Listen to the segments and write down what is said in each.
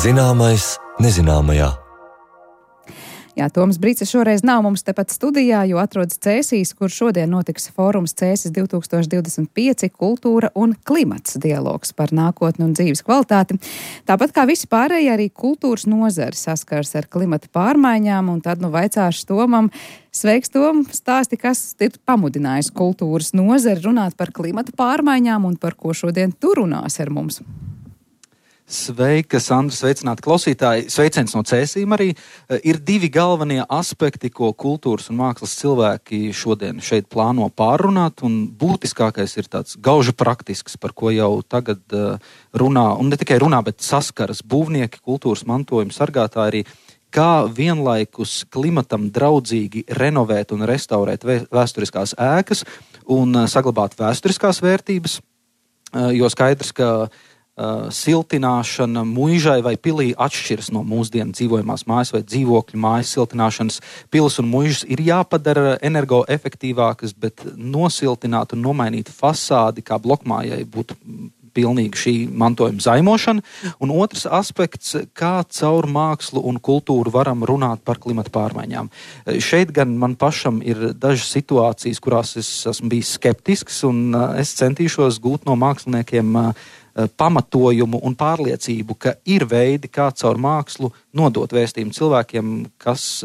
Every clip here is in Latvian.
Zināmais nezināmajā. Jā, Toms Brīcis šoreiz nav mums tepat studijā, jo atrodas Cēsīs, kur šodien notiks fórums Cēsis 2025 kultūra un klimats dialogs par nākotni un dzīves kvalitāti. Tāpat kā visi pārējie, arī kultūras nozari saskars ar klimata pārmaiņām, un tad vaicāšu Tomam. Sveiks, Tom! Stāsti, kas ir pamudinājis kultūras nozari runāt par klimata pārmaiņām un par ko šodien tu runās ar mums? Sveika, Sandra, sveicināti klausītāji. Sveiciens no Cēsīm arī. Ir divi galvenie aspekti, ko kultūras un mākslas cilvēki šodien šeit plāno pārrunāt, un būtiskākais ir tāds gauži praktisks, par ko jau tagad runā, un ne tikai runā, bet saskaras būvnieki, kultūras mantojuma sargātāji arī, kā vienlaikus klimatam draudzīgi renovēt un restaurēt vēsturiskās ēkas un saglabāt vēsturiskās vērtības, jo skaidrs, ka siltināšana muižai vai pilī atšķiras no mūsdienu dzīvojamās mājas vai dzīvokļu mājas siltināšanas. Pilis un muižas ir jāpadara energoefektīvākas, bet nosiltināt un nomainīt fasādi kā blokmājai būtu pilnīgi šī mantojuma zaimošana. Un otrs aspekts, kā caur mākslu un kultūru varam runāt par klimata pārmaiņām. Šeit gan man pašam ir dažas situācijas, kurās es esmu bijis skeptisks, un es centīšos gūt no māksliniekiem pamatojumu un pārliecību, ka ir veidi, kā caur mākslu nodot vēstījumu cilvēkiem, kas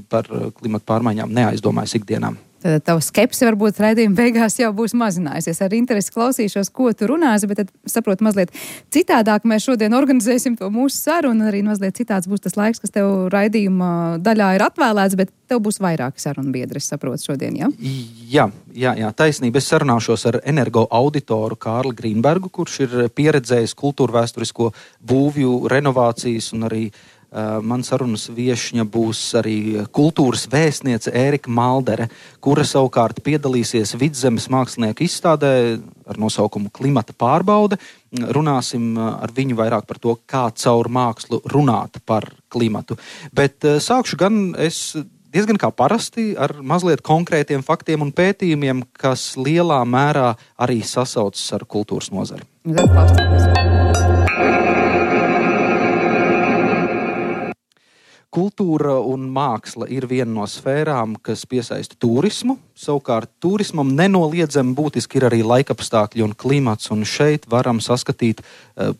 par klimata pārmaiņām neaizdomājas ikdienām. Tad tava skepse varbūt raidījuma beigās jau būs mazinājusies. Ar interesi klausīšos, ko tu runāsi, bet tad saprotu mazliet citādāk. Mēs šodien organizēsim to mūsu sarunu, un arī mazliet citāds būs tas laiks, kas tev raidījuma daļā ir atvēlēts, bet tev būs vairāki sarunu biedri, es saprotu šodien, ja? Jā, taisnība. Es sarunāšos ar energo auditoru Kārli Grīnbergu, kurš ir pieredzējis kultūrvēsturisko būvju renovācijas, un arī man sarunas viešņa būs arī kultūras vēstniece Ērika Maldere, kura savukārt piedalīsies Vidzemes mākslinieku izstādē ar nosaukumu Klimata pārbaude. Runāsim ar viņu vairāk par to, kā caur mākslu runāt par klimatu. Bet sākšu gan es diezgan kā parasti ar mazliet konkrētiem faktiem un pētījumiem, kas lielā mērā arī sasaucas ar kultūras nozari. Kultūra un māksla ir viena no sfērām, kas piesaista turismu. Savukārt turismam nenoliedzami būtiski ir arī laikapstākļi un klimats, un šeit varam saskatīt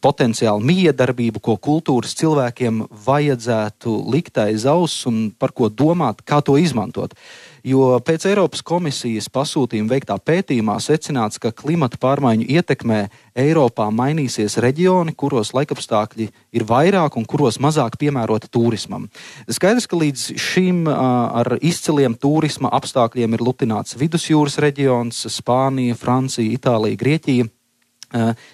potenciāli miedarbību, ko kultūras cilvēkiem vajadzētu likt aiz auss un par ko domāt, kā to izmantot. Jo pēc Eiropas komisijas pasūtījuma veiktā pētījumā secināts, ka klimata pārmaiņu ietekmē Eiropā mainīsies reģioni, kuros laikapstākļi ir vairāk un kuros mazāk piemēroti turismam. Skaidrs, ka līdz šim ar izciliem turisma apstākļiem ir lutināts Vidusjūras reģions, Spānija, Francija, Itālija, Grieķija.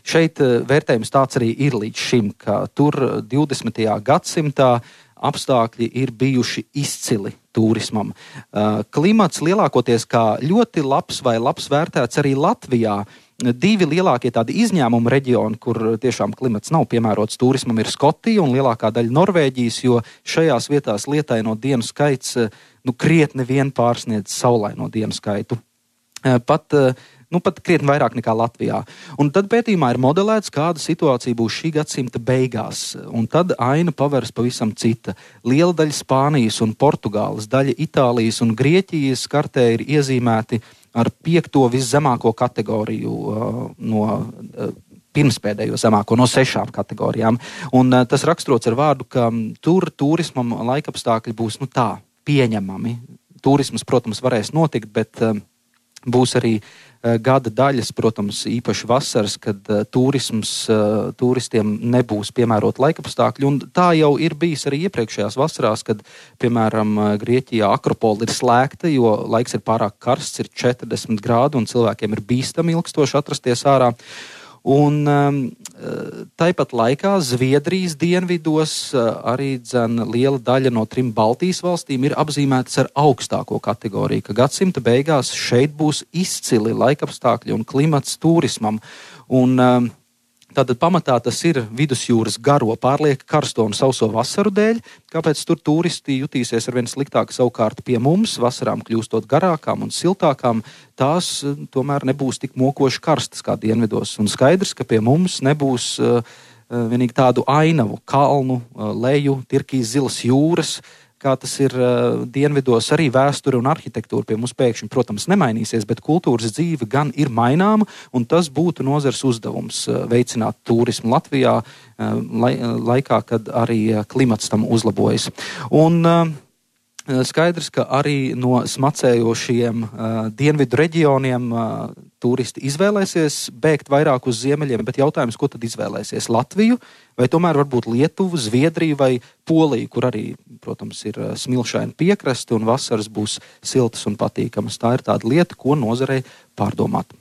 Šeit vērtējums tāds arī ir līdz šim, ka tur 20. gadsimtā apstākļi ir bijuši izcili turismam. Klimats lielākoties kā ļoti labs vai labs vērtēts arī Latvijā. Divi lielākie tādi izņēmuma reģioni, kur tiešām klimats nav piemērots turismam, ir Skotija un lielākā daļa Norvēģijas, jo šajās vietās lietaino dienu skaits krietni vien pārsniedz saulaino dienu skaitu. Pat krietni vairāk nekā Latvijā. Un tad pētījumā ir modelēts, kāda situācija būs šī gadsimta beigās. Un tad aina paveras pavisam cita. Liela daļa Spānijas un Portugāles, daļa Itālijas un Grieķijas kartē ir iezīmēti ar 5. viszemāko kategoriju no pirmspēdējo zemāko no 6 kategorijām. Un tas raksturots ar vārdu, ka tur turismam laikapstākļi būs pieņemami. Turismas, protams, varēs notikt, bet būs arī gada daļas, protams, īpaši vasaras, kad turistiem nebūs piemērot laikapstākļi. Un tā jau ir bijis arī iepriekšējās vasarās, kad, piemēram, Grieķijā Akropola ir slēgta, jo laiks ir pārāk karsts, ir 40 grādi un cilvēkiem ir bīstami ilgstoši atrasties ārā. Un tāpat laikā Zviedrijas dienvidos arī liela daļa no 3 Baltijas valstīm ir apzīmētas ar augstāko kategoriju, ka gadsimta beigās šeit būs izcili laikapstākļi un klimats turismam. Un Tātad pamatā tas ir vidusjūras garo pārlieka karsto un sauso vasaru dēļ, kāpēc tur turisti jutīsies arvien sliktāk. Savukārt pie mums vasarām kļūstot garākām un siltākām, tās tomēr nebūs tik mokoši karstas kā dienvidos. Un skaidrs, ka pie mums nebūs vienīgi tādu ainavu, kalnu, leju, tirkīs zilas jūras, kā tas ir dienvidos, arī vēsture un arhitektūra pie mums pēkšņi, protams, nemainīsies, bet kultūras dzīve gan ir maināma, un tas būtu nozars uzdevums veicināt turismu Latvijā laikā, kad arī klimats tam uzlabojas. Un skaidrs, ka arī no smacējošiem dienvidu reģioniem turisti izvēlēsies bēgt vairāk uz ziemeļiem, bet jautājums, ko tad izvēlēsies? Latviju vai tomēr varbūt Lietuvu, Zviedriju vai Poliju, kur arī, protams, ir smilšaini piekrasti un vasaras būs siltas un patīkamas. Tā ir tāda lieta, ko nozarei pārdomāt.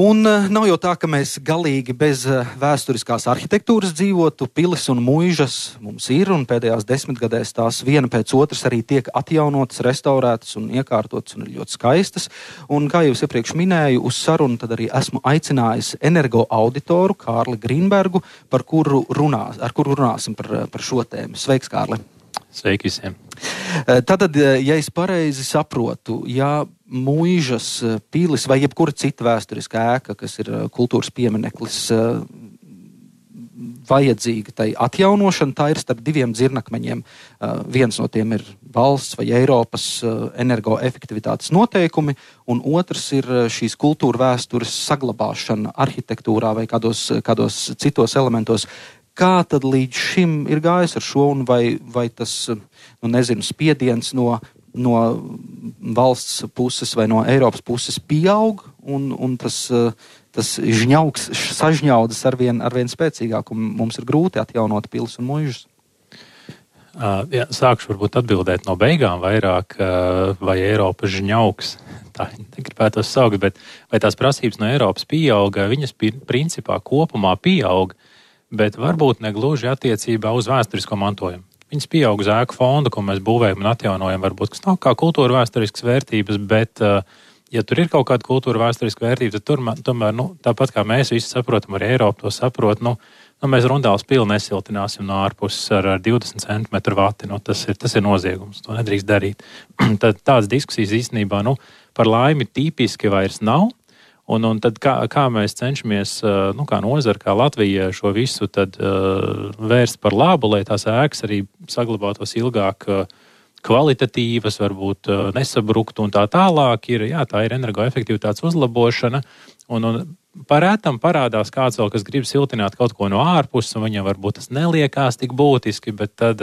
Un nav jau tā, ka mēs galīgi bez vēsturiskās arhitektūras dzīvotu. Pilis un muižas mums ir, un pēdējās 10 gadēs tās viena pēc otras arī tiek atjaunotas, restaurētas un iekārtotas un ir ļoti skaistas. Un, kā jau es iepriekš minēju, uz sarunu tad arī esmu aicinājis energo auditoru Kārli Grīnbergu, ar kuru runāsim par šo tēmu. Sveiks, Kārli! Sveiki visiem! Tātad, ja es pareizi saprotu, ja muižas, pilis vai jebkura cita vēsturiska ēka, kas ir kultūras piemineklis, vajadzīga tai atjaunošana, tā ir starp diviem dzirnakmeņiem. Viens no tiem ir valsts vai Eiropas energoefektivitātes noteikumi, un otrs ir šīs kultūra vēstures saglabāšana arhitektūrā vai kādos citos elementos. Kā tad līdz šim ir gājis ar šo, un vai tas, spiediens no valsts puses vai no Eiropas puses pieaug, un tas sažņaudas arvien spēcīgāk, un mums ir grūti atjaunot pilis un muižas? Jā, sākšu varbūt atbildēt no beigām vairāk, vai Eiropas žņauks, tā negribētos saukt, bet vai tās prasības no Eiropas pieauga, viņas principā kopumā pieauga, bet varbūt negluži attiecībā uz vēsturisko mantojumu. Viņas pieaug uz ēku fondu, ko mēs būvējam un atjaunojam, varbūt, kas nav kā kultūra vēsturiskas vērtības, bet, ja tur ir kaut kāda kultūra vēsturiska vērtība, tad tomēr, tāpat kā mēs visi saprotam, arī Eiropa to saprot, mēs Rundāles pili nesiltināsim no ārpuses ar 20 centimetru vati, tas ir noziegums, to nedrīkst darīt. Tad tādas diskusijas īstenībā, par laimi tipiski vairs nav. Un tad kā mēs cenšamies, kā nozara, kā Latvija šo visu tad vērst par labu, lai tās ēkas arī saglabātos ilgāk kvalitatīvas, varbūt nesabruktu un tā tālāk, tā ir energoefektivitātes uzlabošana. Un parētam parādās kāds vēl, kas grib siltināt kaut ko no ārpuses, un viņam varbūt tas neliekās tik būtiski, bet tad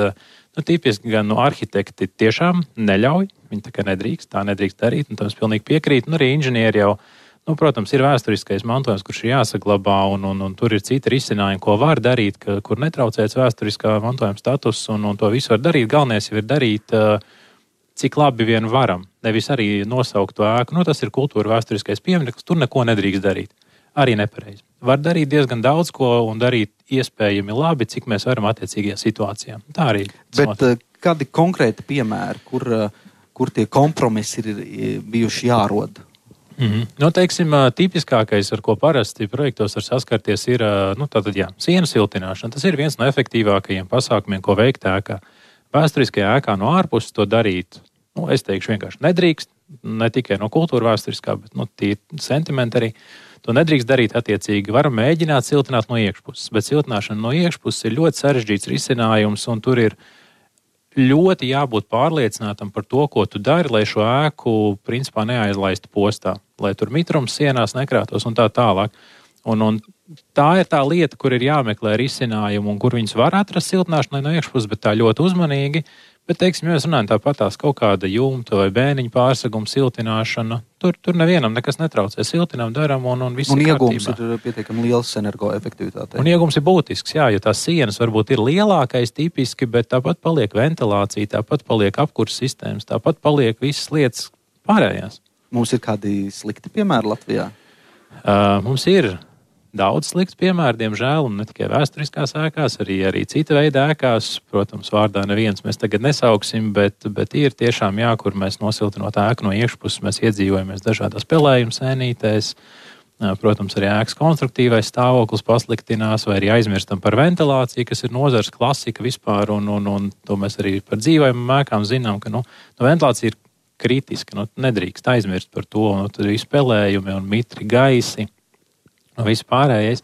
tipiski gan arhitekti tiešām neļauj, viņi tā kā tā nedrīkst darīt, un tam es pilnīgi piekrītu, un arī inženieri jau protams, ir vēsturiskais mantojums, kurš ir jāsaglabā, un tur ir citi risinājumi, ko var darīt, kur netraucēts vēsturiskā mantojuma status, un to visu var darīt. Galvenais jau ir darīt, cik labi vien varam. Nevis arī nosaukt to ēku. Tas ir kultūra vēsturiskais piemineklis, tur neko nedrīkst darīt. Arī nepareizi. Var darīt diezgan daudz ko un darīt iespējami labi, cik mēs varam attiecīgajā situācijā. Tā arī. Bet kādi konkrēti piemēri, kur tie kompromisi ir bijuši jārod? Teiksim, tipiskākais, ar ko parasti projektos var saskarties, ir sienu siltināšana. Tas ir viens no efektīvākajiem pasākumiem, ko veikt ēkā. Vēsturiskajā ēkā no ārpuses to darīt, es teikšu vienkārši nedrīkst, ne tikai no kultūra vēsturiskā, bet tīri sentimenti arī. To nedrīkst darīt attiecīgi. Varam mēģināt siltināt no iekšpuses, bet siltināšana no iekšpuses ir ļoti sarežģīts risinājums, un tur ir ļoti jābūt pārliecinātam par to, ko tu dari, lai šo ēku principā neaizlaistu postā, lai tur mitrums sienās nekrātos un tā tālāk. Un tā ir tā lieta, kur ir jāmeklē risinājumu un kur viņus var atrast siltināšanai no iekšpuses, bet tā ļoti uzmanīgi. Bet, teiksim, ja mēs runājam tāpatās kaut kāda jumta vai bēniņa pārseguma siltināšana, tur nevienam nekas netraucē. Siltinām, daram un viss ir kārtībā. Un iegums ir pietiekami liels energoefektivitātei. Un iegums ir būtisks, jo tās sienas varbūt ir lielākais tipiski, bet tāpat paliek ventilācija, tāpat paliek apkurs sistēmas, tāpat paliek visas lietas pārējās. Mums ir kādi slikti piemēri Latvijā? Mums ir daudz slikts piemēru, diemžēl, un ne tikai vēsturiskās ēkās, arī cita veida ēkās. Protams, vārdā neviens mēs tagad nesauksim, bet ir tiešām kur mēs nosiltinot ēku no iekšpuses, mēs iedzīvojamies dažādās pelējuma sēnītēs. Protams, arī ēkas konstruktīvais stāvoklis pasliktinās, vai arī aizmirstam par ventilāciju, kas ir nozars klasika vispār, un to mēs arī par dzīvojumām ēkām zinām, ka ventilācija ir kritiski. Nedrīkst aizmirst par to. Tad ir spēlējumi un mitri gaisi un viss pārējais.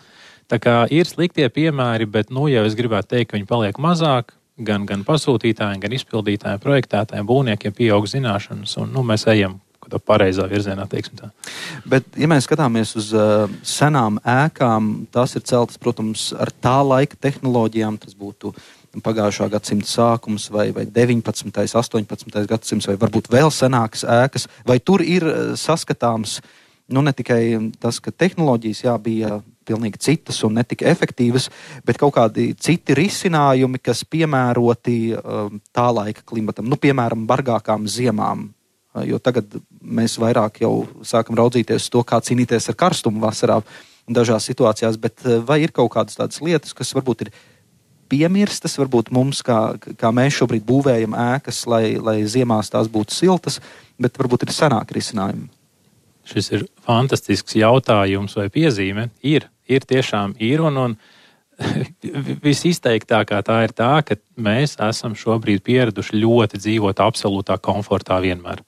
Tā kā ir sliktie piemēri, bet jau es gribētu teikt, ka viņi paliek mazāk. Gan pasūtītājiem, gan izpildītājiem, projektētājiem, būvniekiem pieaug zināšanas. Un mēs ejam pareizā virzienā, teiksim tā. Bet, ja mēs skatāmies uz senām ēkām, tās ir celtas, protams, ar tā laika tehnoloģijām. Tas būtu pagājušā gadsimta sākums vai 19. 18. gadsimts vai varbūt vēl senākas ēkas. Vai tur ir saskatāms ne tikai tas, ka tehnoloģijas bija pilnīgi citas un netika efektīvas, bet kaut kādi citi risinājumi, kas piemēroti tā laika klimatam, piemēram, bargākām ziemām. Jo tagad mēs vairāk jau sākam raudzīties to, kā cīnīties ar karstumu vasarā dažās situācijās, bet vai ir kaut kādas tādas lietas, kas varbūt ir piemirstas, varbūt mums, kā mēs šobrīd būvējam ēkas, lai ziemās tās būtu siltas, bet varbūt ir senāki risinājumi? Šis ir fantastisks jautājums vai piezīme. Tiešām ir, un visizteiktākā tā ir tā, ka mēs esam šobrīd pieraduši ļoti dzīvot absolūtā komfortā vienmēr.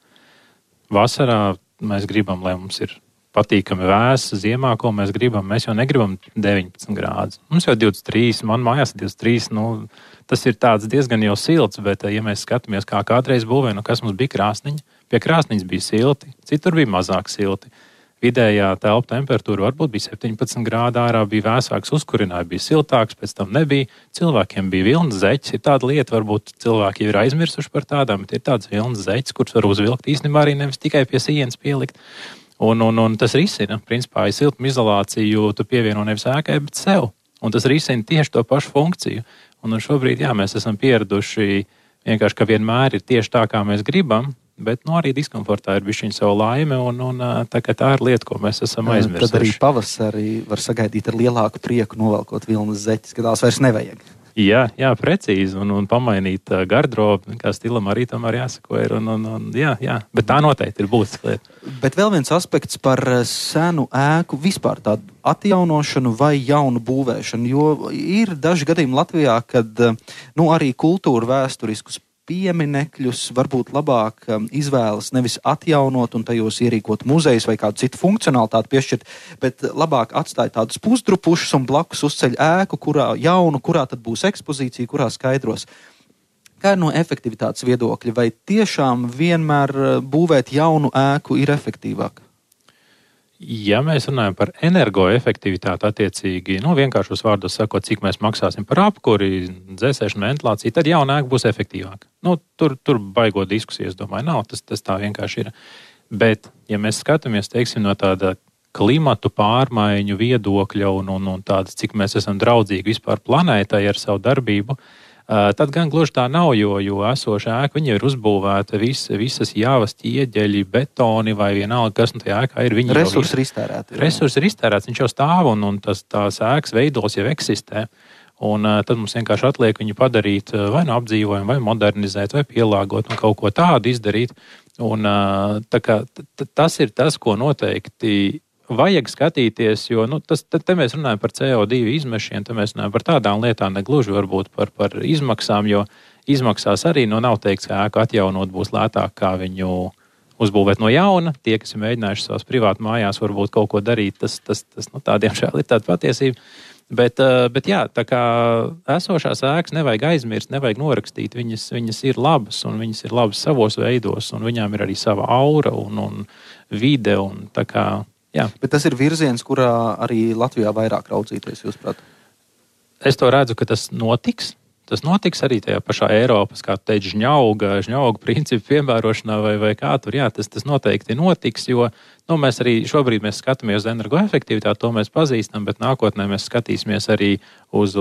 Vasarā mēs gribam, lai mums ir patīkami vēsa, ziemā, ko mēs gribam. Mēs jau negribam 19 grādus. Mums jau 23, man mājās ir 23, tas ir tāds diezgan jau silts, bet ja mēs skatāmies, kā kādreiz būvēja, kas mums bija krāsniņa, pie krāsniņas bija silti, citur bija mazāk silti. Vidējā telpu temperatūra varbūt bija 17 grādi, ārā bija vēsāks, uzkurināja, bija siltāks, pēc tam nebija. Cilvēkiem bija vilnas zeķes. Ir tāda lieta, varbūt cilvēki jau ir aizmirsuši par tādām, bet ir tādas vilnas zeķes, kuras var uzvilkt īstenībā arī nevis tikai pie sienas pielikt. Un tas risina, principā, ja siltumizolāciju tu pievieno nevis ēkai, bet sev. Un tas risina tieši to pašu funkciju. Un šobrīd, mēs esam pieraduši vienkārši, ka vienmēr ir tieši tā, kā mēs gribam, bet arī diskomfortā ir bišķiņa savu laime, un tā ir lieta, ko mēs esam aizmirsuši. Tad arī pavasarī var sagaidīt ar lielāku prieku novelkot vilnas zeķes, ka tās vairs nevajag. Jā, precīzi, un pamainīt garderobu, kā stilam arī tam jāsako ir, jā, bet tā noteikti ir būtiska lieta. Bet vēl viens aspekts par senu ēku, vispār tādu atjaunošanu vai jaunu būvēšanu, jo ir daži gadījumi Latvijā, kad arī kultūra vēsturiskus pieminekļus varbūt labāk izvēlas nevis atjaunot un tajos ierīkot muzejus vai kādu citu funkcionalitāti piešķirt, bet labāk atstāja tādus pusdrupušus un blakus uzceļ ēku, kurā tad būs ekspozīcija, kurā skaidros. Kā ir no efektivitātes viedokļa? Vai tiešām vienmēr būvēt jaunu ēku ir efektīvāk? Ja mēs runājam par energoefektivitāti attiecīgi, vienkāršos vārdos sakot, cik mēs maksāsim par apkuri, dzēsēšanu, ventilāciju, tad jauna ēka būs efektīvāka. Tur baigo diskusijas, domāju, nav, tas tā vienkārši ir. Bet, ja mēs skatāmies, teiksim, no tāda klimatu pārmaiņu viedokļa un tādas, cik mēs esam draudzīgi vispār planētai ar savu darbību, tad gan gluži tā nav, jo esoša ēka, viņa ir uzbūvēta visas jāvas ķieģeļi, betoni vai vienalga, kas tajā ēkā ir. Resursi ir iztērēti. Resursi ir iztērēts, viņš jau stāv un tās ēkas veidos jau eksistē. Un tad mums vienkārši atliek viņu padarīt vai apdzīvojumu, vai modernizēt, vai pielāgot un kaut ko tādu izdarīt. Un tas ir tas, ko noteikti vajag skatīties, jo te mēs runājam par CO2 izmešiem, te mēs runājam par tādām lietām, ne gluži varbūt par izmaksām, jo izmaksās arī nav teikts, ka ēku atjaunot būs lētāk, kā viņu uzbūvēt no jauna. Tie, kas ir mēģinājuši savās privātu mājās varbūt kaut ko darīt, tas tādiem šādi ir tāda patiesība. Bet jā, tā kā esošās ēkas nevajag aizmirst, nevajag norakstīt, viņas ir labas un viņas ir labas savos veidos un viņām ir arī sava aura un vide un tā kā. Jā. Bet tas ir virziens, kurā arī Latvijā vairāk raudzīties, jūsuprāt? Es to redzu, ka tas notiks. Tas notiks arī tajā pašā Eiropas, kā tu teici, žņauga principu piemērošanā vai kā tur. Jā, tas noteikti notiks, jo mēs arī šobrīd mēs skatāmies uz energoefektivitāti, to mēs pazīstam, bet nākotnē mēs skatīsimies arī uz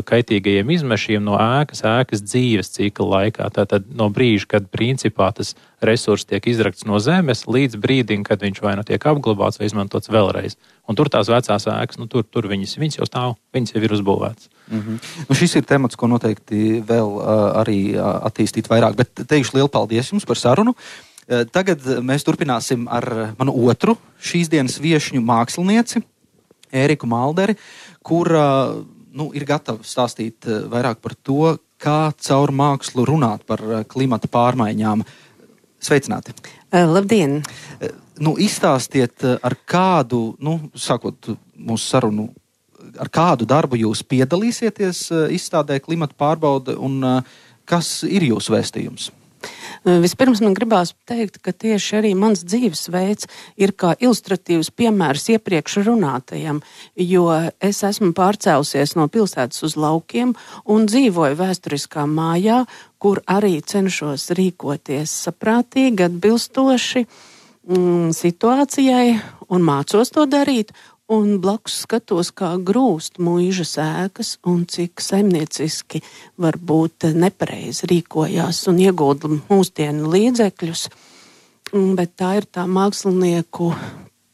kaitīgajiem izmešiem no ēkas dzīves cikla laikā. Tātad no brīža, kad principā tas resurs tiek izrakts no zemes, līdz brīdim, kad viņš vai tiek apglabāts vai izmantots vēlreiz. Un tur tās vecās ēkas, tur viņas jau stāv, viņas jau ir uzbūvētas. Šis ir temats, ko noteikti vēl arī attīstīt vairāk, bet teikšu lielu paldies jums par sarunu. Tagad mēs turpināsim ar manu otru šīs dienas viešņu mākslinieci, Ēriku Malderi, kura ir gatava stāstīt vairāk par to, kā caur mākslu runāt par klimata pārmaiņām. Sveicināti! Labdien! Izstāstiet, ar kādu, sākot mūsu sarunu, ar kādu darbu jūs piedalīsieties izstādē Klimata pārbaude un kas ir jūsu vēstījums? Vispirms man gribās teikt, ka tieši arī mans dzīvesveids ir kā ilustratīvs piemērs iepriekš runātajam, jo es esmu pārcēlusies no pilsētas uz laukiem un dzīvoju vēsturiskā mājā, kur arī cenšos rīkoties saprātīgi, atbilstoši situācijai un mācos to darīt. Un blakus skatos, kā grūst muižas ēkas un cik saimnieciski varbūt nepareizi rīkojās un iegulda mūsdienu līdzekļus. Bet tā ir tā mākslinieku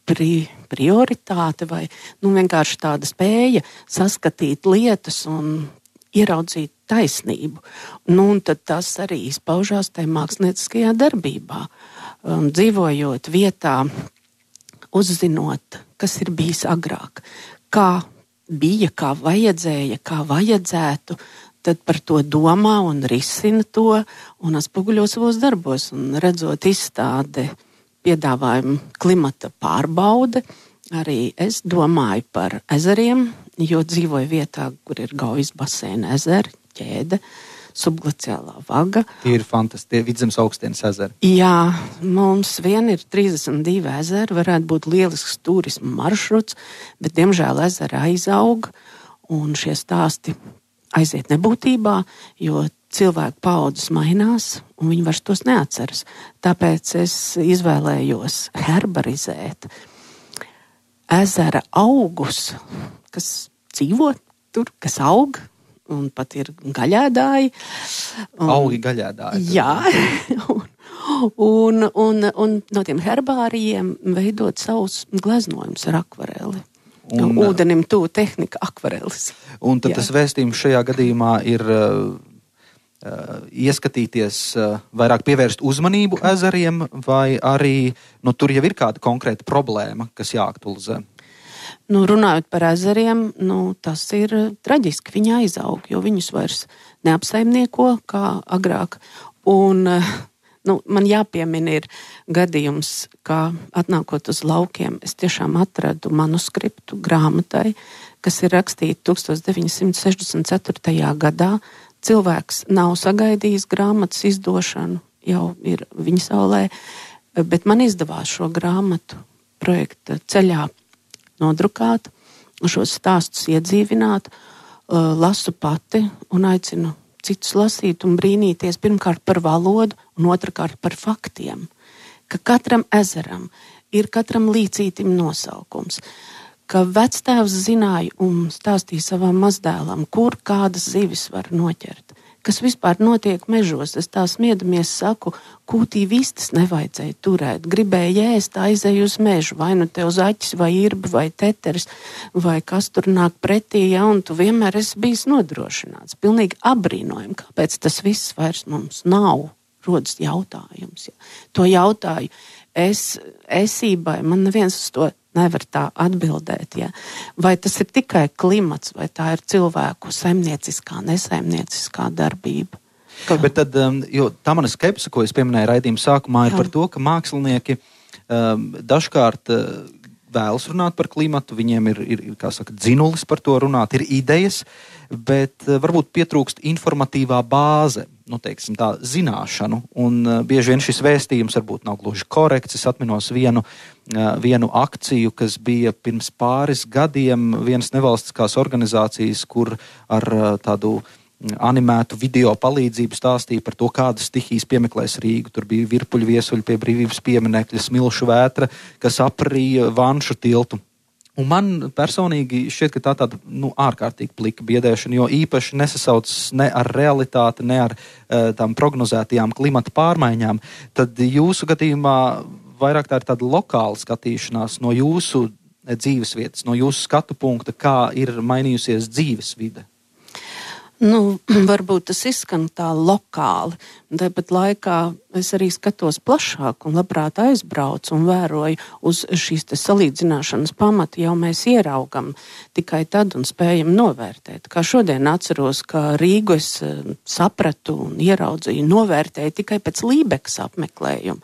prioritāte vai vienkārši tāda spēja saskatīt lietas un ieraudzīt taisnību. Un tad tas arī izpaužās tajā mākslinieckajā darbībā. Dzīvojot vietā, uzzinot, kas ir bijis agrāk, kā bija, kā vajadzēja, kā vajadzētu, tad par to domā un risina to un atspoguļo savos darbos. Un redzot izstādi piedāvājumu Klimata pārbaude, arī es domāju par ezeriem, jo dzīvoju vietā, kur ir Gaujas baseina ezeri, ķēde, subglaciālā vaga. Tie ir fantastiski, Vidzemes augstienes ezeri. Jā, mums vien ir 32 ezeri, varētu būt lielisks turisma maršruts, bet diemžēl ezeri aizaug un šie stāsti aiziet nebūtībā, jo cilvēku paaudzes mainās un viņi vairs tos neatceras. Tāpēc es izvēlējos herbarizēt ezera augus, kas dzīvo tur, kas aug, un pat ir gaļēdāji. Augi gaļēdāji. Jā, un no tiem herbārijiem veidot savus gleznojumus ar akvareli. Ūdenim tuvu tehnika akvarelis. Un tad tas vēstījums šajā gadījumā ir ieskatīties, vairāk pievērst uzmanību ezeriem, vai arī tur jau ir kāda konkrēta problēma, kas jāaktualizē? Runājot par ezeriem, tas ir traģiski. Viņi aizaug, jo viņus vairs neapsaimnieko kā agrāk. Un man jāpiemina ir gadījums, kā atnākot uz laukiem, es tiešām atradu manuskriptu grāmatai, kas ir rakstīta 1964. gadā. Cilvēks nav sagaidījis grāmatas izdošanu, jau ir viņa saulē, bet man izdevās šo grāmatu projekta ceļā nodrukāt, šos stāstus iedzīvināt, lasu pati un aicinu citus lasīt un brīnīties pirmkārt par valodu un otrkārt par faktiem, ka katram ezeram ir katram līcītim nosaukums, ka vectēvs zināja un stāstīja savam mazdēlam, kur kādas zivis var noķert, kas vispār notiek mežos. Es tā smiedamies saku, kūtī vistas nevajadzēja turēt, gribēja ēst, aizēju uz mežu, vai te uz aķis, vai irbi, vai teteris, vai kas tur nāk pretī, un tu vienmēr esi bijis nodrošināts. Pilnīgi abrīnojami, kāpēc tas viss vairs mums nav, rodas jautājums. Ja. To jautāju esībai, man neviens uz to nevar tā atbildēt. Ja. Vai tas ir tikai klimats, vai tā ir cilvēku saimnieciskā, nesaimnieciskā darbība? Bet tad, jo tā mana skepse, ko es pieminēju raidījuma sākumā, ir par to, ka mākslinieki dažkārt vēlas runāt par klimatu, viņiem ir kā saka, dzinulis par to runāt, ir idejas, bet varbūt pietrūkst informatīvā bāze, teiksim tā, zināšanu, un bieži vien šis vēstījums varbūt nav gluži korekts. Es atminos vienu akciju, kas bija pirms pāris gadiem vienas nevalstiskās organizācijas, kur ar tādu animētu video palīdzību stāstīja par to, kādas stihijas piemeklēs Rīgu. Tur bija virpuļu viesuļi pie Brīvības pieminekļa, smilšu vētra, kas aprīja Vanšu tiltu. Un man personīgi šķiet, ka tā tāda ārkārtīgi plika biedēšana, jo īpaši nesasaucas ne ar realitāti, ne ar tām prognozētajām klimata pārmaiņām. Tad jūsu gadījumā vairāk tā ir tāda lokāla skatīšanās no jūsu dzīvesvietas, no jūsu skatu punkta, kā ir mainījusies dzīvesvide. Varbūt tas izskan tā lokāli, Un tāpat laikā es arī skatos plašāk un labprāt aizbraucu un vēroju uz šīs te salīdzināšanas pamatu, jau mēs ieraugam tikai tad un spējam novērtēt. Kā šodien atceros, ka Rīgu es sapratu un ieraudzīju, novērtēju tikai pēc Lībekas apmeklējuma,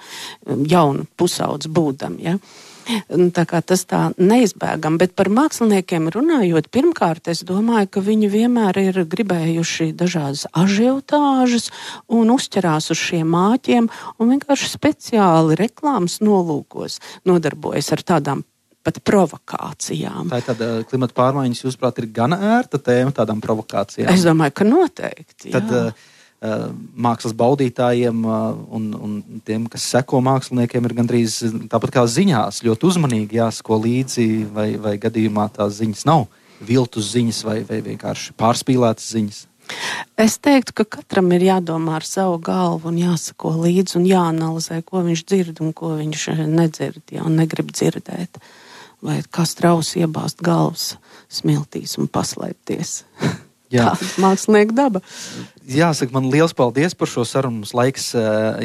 jaunu pusaudz būdam, ja. Tā kā tas tā neizbēgam, bet par māksliniekiem runājot, pirmkārt, es domāju, ka viņi vienmēr ir gribējuši dažādas ažiotāžas un uzķerās uz šiem māķiem un vienkārši speciāli reklāmas nolūkos nodarbojas ar tādām pat provokācijām. Tā ir tāda klimata pārmaiņas, jūsuprāt, ir gana ērta tēma tādām provokācijām? Es domāju, ka noteikti, jā. Tad, mākslas baudītājiem un tiem, kas seko māksliniekiem, ir gandrīz tāpat kā ziņās, ļoti uzmanīgi jāsako līdzi, vai gadījumā tās ziņas nav viltus ziņas vai vienkārši pārspīlētas ziņas. Es teiktu, ka katram ir jādomā ar savu galvu un jāsako līdzi un jāanalizē, ko viņš dzird un ko viņš nedzird, ja, un negrib dzirdēt. Vai kā strauss iebāzt galvas smiltīs un paslēpties. Jā. Tāda mākslinieka daba. Jāsaka, man liels paldies par šo sarunu. Mums laiks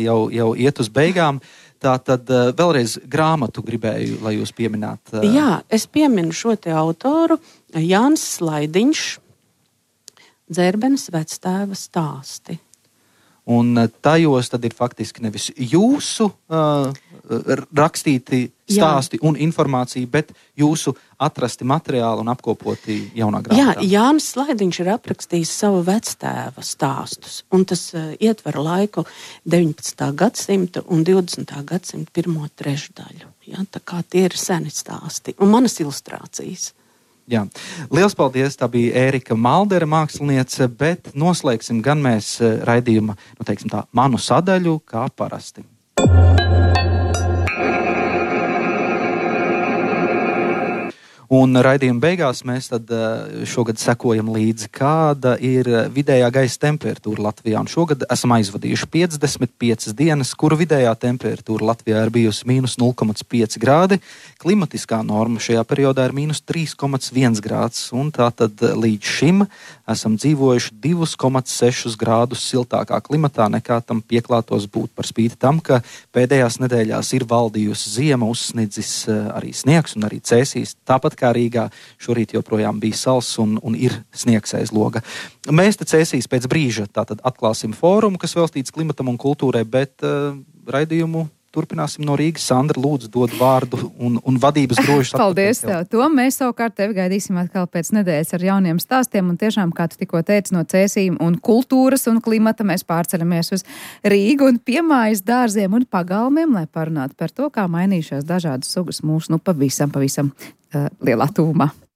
jau iet uz beigām. Tātad vēlreiz grāmatu gribēju, lai jūs piemināt. Jā, es pieminu šo te autoru, Jānis Slaidiņš, Dzērbenes vectēva stāsti. Un tajos tad ir faktiski nevis jūsu rakstīti stāsti un informācija, bet jūsu atrasti materiāli un apkopoti jaunā grāmatā. Jā, Jānis Slaidiņš ir aprakstījis savu vectēva stāstus, un tas ietver laiku 19. gadsimta un 20. gadsimta pirmo trešdaļu. Ja, tā kā tie ir seni stāsti un manas ilustrācijas. Jā. Liels paldies, tā bija Ērika Maldere, māksliniece, bet noslēgsim gan mēs raidījuma, teiksim tā, manu sadaļu, kā parasti. Un raidījuma beigās mēs tad šogad sekojam līdzi, kāda ir vidējā gaisa temperatūra Latvijā. Un šogad esam aizvadījuši 55 dienas, kuru vidējā temperatūra Latvijā ir bijusi mīnus 0,5 grādi. Klimatiskā norma šajā periodā ir mīnus 3,1 grāds. Un tātad līdz šim esam dzīvojuši 2,6 grādus siltākā klimatā, nekā tam pieklātos būt, par spīti tam, ka pēdējās nedēļās ir valdījusi ziema, uzsnidzis arī sniegs un arī cēsīs. Tāpat kā Rīgā šorīt joprojām bija sals un ir sniegs aiz loga. Mēs te cēsīs pēc brīža tātad atklāsim fórumu, kas veltīts klimatam un kultūrai, bet raidījumu turpināsim no Rīgas. Sandra, lūdzu, dod vārdu un vadības grožus. Paldies tev, Tom. Mēs savukārt tevi gaidīsim atkal pēc nedēļas ar jauniem stāstiem, un tiešām, kā tu tikko teici, no cēsīm un kultūras un klimata mēs pārceļamies uz Rīgu un piemājas dārziem un pagalmiem, lai parunātu par to, kā mainījušās dažādas sugas mūsu pavisam lielā tūmā.